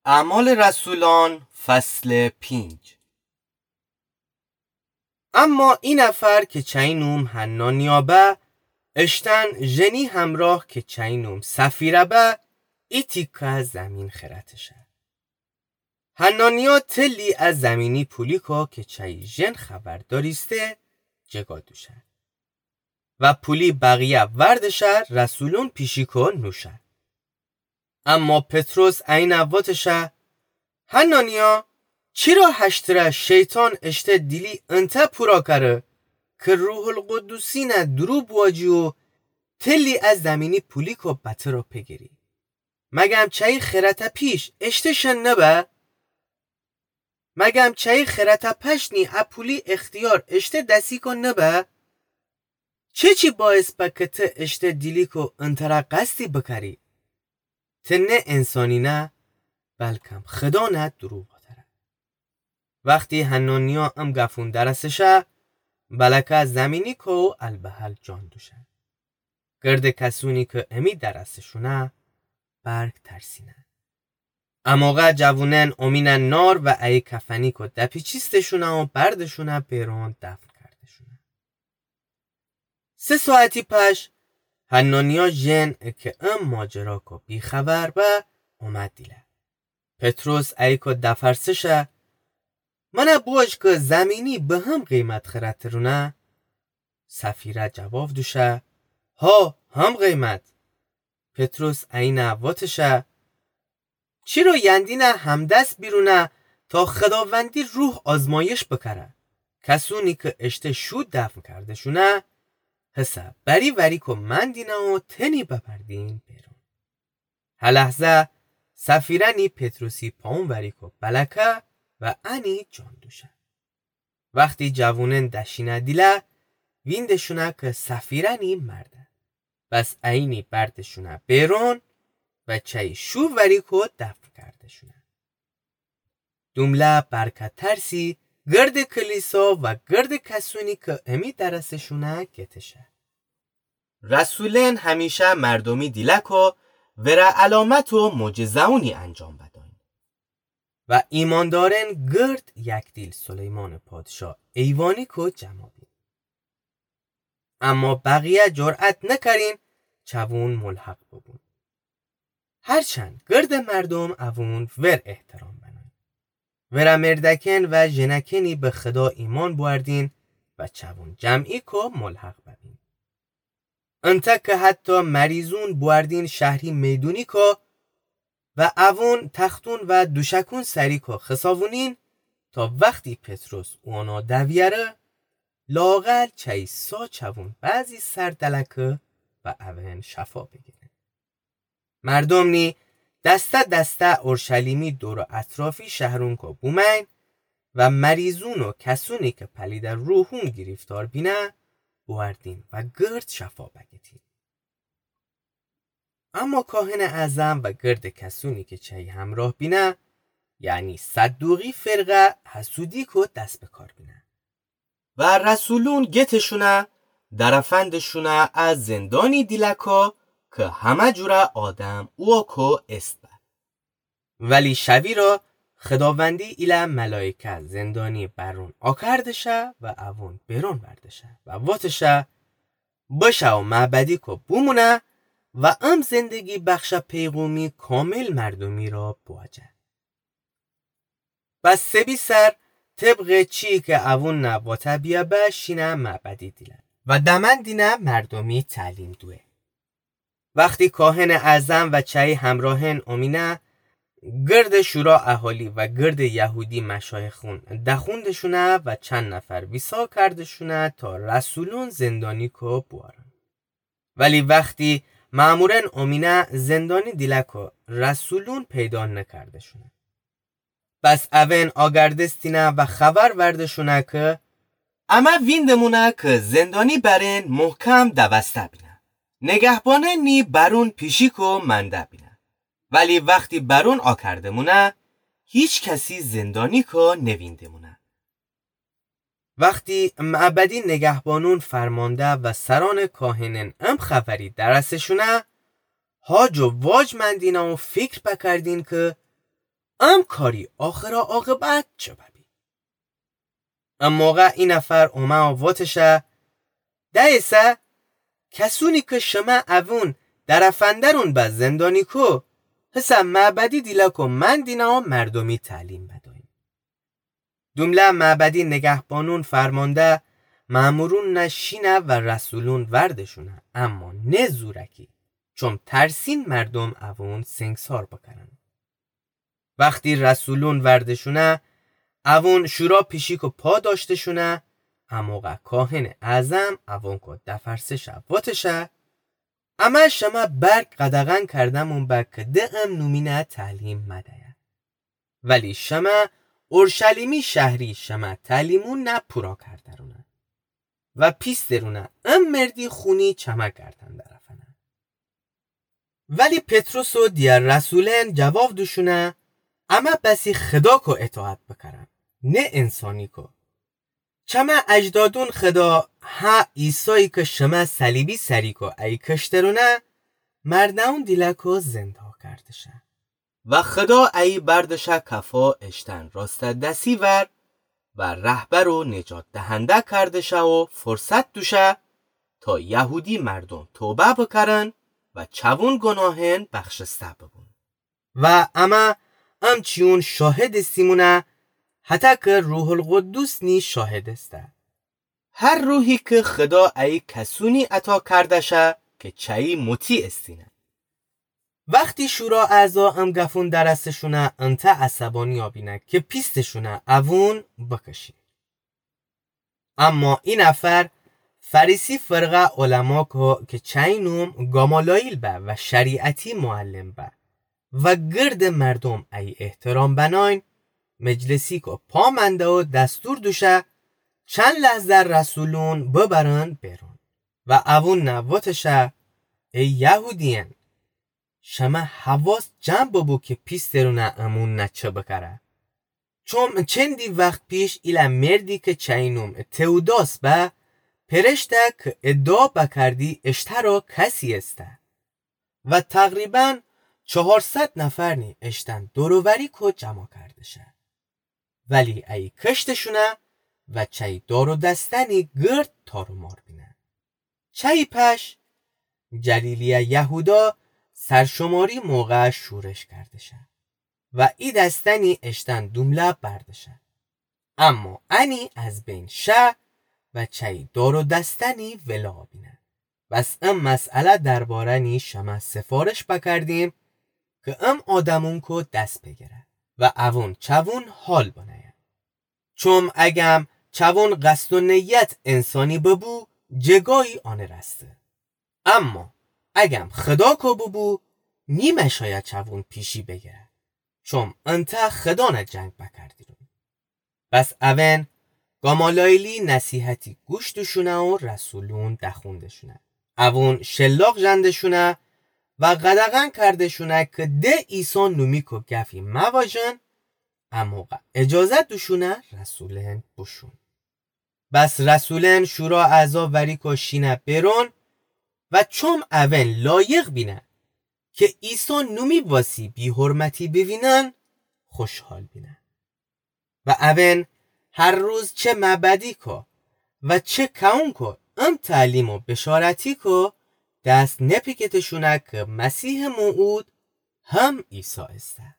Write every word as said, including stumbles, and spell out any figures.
اعمال رسولان، فصل پنج. اما ای نفر کی چایی نوم حنانیا به، اشتأن ژنی همرأ کی چایی نوم سفیره به، ای تیکه زمین خیرأتشه. حنانیا تلی ا زمینی پولیکو کی چایی ژن خبر دأریسته، جگا دوشه و پولی بقیه وردشه رسولون پیشیکو نوشه. اما پطرس اینه وتشه: حنانیا، چیرا هشتره شیطان اشته دیلی انتأ پورا کره کی روح‌القدسینه دورو بواجی و تلی ا زمینی پولیکو بترا پگیری؟ مگم چایی خیرأته پیش اشته شن نبه؟ مگم چایی خیرأته پشنی ا پولی اختیار اشته دسیکو نبه؟ چیچی باعث به کی ته اشته دیلیکو انتره قصدی بکری؟ ته نه انسانی نه، بلکم خدا نه دورو وتره. وختی حنانیا ام گفون درسه شه، بلکه زمینیکو البهل جان دوشه. گرد کسونی کی امی درسه شونه، برگ ترسینه. اموقع جوونن اومینه نار و ایی کفنیکو دپیچیسته شونه و برده شونه بیرون دفن کرده شونه. سه ساعتی پش، حنانیا ژن کی ام ماجراکو بیخبر به، اومد دیله. پطرس ایکو دفرسه شه: منه بوش کی زمینی به هم قیمت خیرأترونه؟ سفیره جواب دوشه: ها، هم قیمت. پطرس اینه وتشه: چیرو یندینه همدس بیرونه تا خداوندی روح آزمایش بکره؟ کسونی کی اشته شو دفن کرده شونه، هسه بری وریکو مندینه و تنی ببردین بیرون. هه لحظه سفیره‌نی پطرسی پائون وریکو بلکه و انی جان دوشه. وختی جوونن دشینه دیله، وینده‌شونه کی سفیره‌نی مرده. بس اینی برده‌شونه بیرون و چایی شو وریکو دفن کرده‌شونه. دومله برکه ترسی گرد کلیسا و گرد کسونی کی امی درسه شونه گتشه. رسولن همیشه مردومی دیلکو وره علامت و معجزه‌ونی انجام بداین. و ایماندارن گرد یک دیل سلیمان پادشا ایوانیکو جمع بین. اما بقیه جرأت نکرین چوون ملحق ببون. هرچند گرد مردوم اوون ور احترام بناین. وره مردکن و ژنکنی به خدا ایمان بوأردین و چوون جمعیکو ملحق ببین. انتأ کی حتی مریضون بوأردین شهری میدونیکو و اوون تختون و دوشکون سریکو خساوونین، تا وختی پطرس اونا دویأره، لااقل چایی سا چوون بعضی سر دلکه و اوئن شفا بیگیرین. مردوم نی دسته دسته اورشلیمی دور و اطرافی شهرونکو بومأین و مریضون و کسونی کی پلیده روحون گیریفتار بینه، بوأردین و گرد شفا بگیتین. اما کاهنٚ اعظم و گردٚ کسونی کی چی همراه بینه، یعنی صدوقی فرقه، حسودی کو دس به کار بینه. و رسولون گتٚ شونه، درفندٚ شونه ا زندانی دیلکو کی همه جوره آدم اوکو ایسته. ولی شوی را خداوندی ایله ملایکه زندانی برون آکرده شه و اوون بیرون برده شه و وته شه، بشه و معبدی کو بومونه و ام زندگی بخشه پیغومی کامل مردومی را بواجه. بس سبی سر طبقٚ چی کی اوون نه وته بیه به شینه معبدی دیله و دمن دینه مردومی تعلیم دوه. وختی کاهنٚ اعظم و چی همراهن اومینه، گردٚ شورا اهالی و گردٚ یهودی مشایخون دخوندٚ شونه و چند نفر ویسا کردٚ شونه تا رسولون زندانی کو بوارن. ولی وختی مأمورن اومینه زندانی دیلکو رسولون پیدا نکردٚ شونه. بس اوئن آگردستینه و خبر وردٚ شونه کی امه ویندمونه کی زندانی برین محکم دوسته بینه. نگهبانن نی برون پیشی کو منده بینه. ولی وختی برون آکردمونه، هیچ کسی زندانی کو نویندمونه. وختی معبدی نگهبانون فرمانده و سرانٚ کاهنن ام خبری درسه شونه، هاج و واج مندینه و فکر بکردین کی ام کاری آخر و عاقبت چه ببی؟ ام موقع ای نفر اومه و وتشه: دأیسه، کسونی که شمه اوون درفندرون به زندانی کو، هسه معبدی دیلکو من دینه و مردومی تعلیم بدوین. دومله معبدی نگهبانون فرمانده مأمورون نه شینه و رسولون وردشونه، اما نه زورکی، چوم ترسین مردوم اوون سنگسار بکرن. وختی رسولون وردشونه، اوون شورا پیشیکو پا داشتشونه، اموقع کاهن اعظم اوونکو دفرسشه وتشه: امه شمه برک قدغن کردمون به که ده ام نومینه تعلیم مدیه. ولی شمه اورشلیمی شهری شمه تعلیمون نه پورا کردرونه و پیسترونه ام مردی خونی چمه گردن درفنه. ولی پطرس و دیگر رسولن جواب دوشونه: امه بسی خداکو اطاعت بکرم، نه انسانیکو. چمه اجدادون خدا ها عیسایی که شمه صلیبی سریکو ای کشترونه، مردهون دیلکو زندا کردشه. و خدا ای بردشه کفا اشتن راسته دسی ور و رهبر و نجات دهنده کردشه و فرصت دوشه تا یهودی مردوم توبه بکرن و چوون گناهن بخشسته ببون. و امه امچیون شاهد استیمونه، حتی که روح القدس نی شاهد استه. هر روحی که خدا ای کسونی عطا کردشه که چه‌یی مطیع استینه. وختی شورا اعضا ام گفون درستشونه، انته عصبانی آبینه که پیستشونه اوون بکشی. اما ای نفر فریسی فرقه علماکو که چه‌یی نوم گامالاییل به و شریعتی معلم به و گرد مردوم ای احترام بناین، مجلسیکو پا منده و دستور دوشه چند لحظه رسولون ببرن بیرون. و اوون نه وتشه: ای یهودیأن، شمه حواس جمع ببو که پیسترونه امون نه چه بکره. چوم چندی وخت پیش ایله مردی که چه‌یی نوم تئوداس به، پرشته که ادعا بکردی اشترا کسی استه و تقریباً چهارصد نفرنی اشتن دور و وریکو جمع کردشه. ولی ای کشتشونه و چه‌یی دار و دسته‌نی گرد تار و مار بینه. چه‌یی پش جلیلیه یهودا سرشماری موقع شورش کردشه و ای دسته‌نی اشتن دومله بردشه. اما انی از بین شه و چه‌یی دار و دسته‌نی ولا بینه. بس ام مسئله درباره‌نی شمه سفارش بکردیم که ام آدمونکو دس بگیره و اوون چوون حال بنیه. چوم اگم چوون قصد و نیت انسانی ببو، جگایی آنه رسته. اما اگم خداکو ببو، نیمه شایه چوون پیشی بگیره. چوم انته خدانه جنگ بکردیرون. بس اوئن گامالایلی نصیحتی گوش دوشونه و رسولون دخوندشونه. اوون شلاق ژندشونه و قدغن کردشونه که ده عیسی نومیکو گفی مواژن، اموقع اجازه دوشونه رسولن بوشون. بس رسولن شورا اعضا وریکو شینه بیرون و چوم اوئن لایق بینه که عیسی نومی واسی بی‌حرمتی بوینن، خوشحال بینه. و اوئن هر روز چه معبدیکو و چه کئونکو ام تعلیم و بشارتیکو دست نپیکتشونه که مسیح موعود هم عیسی ایسه.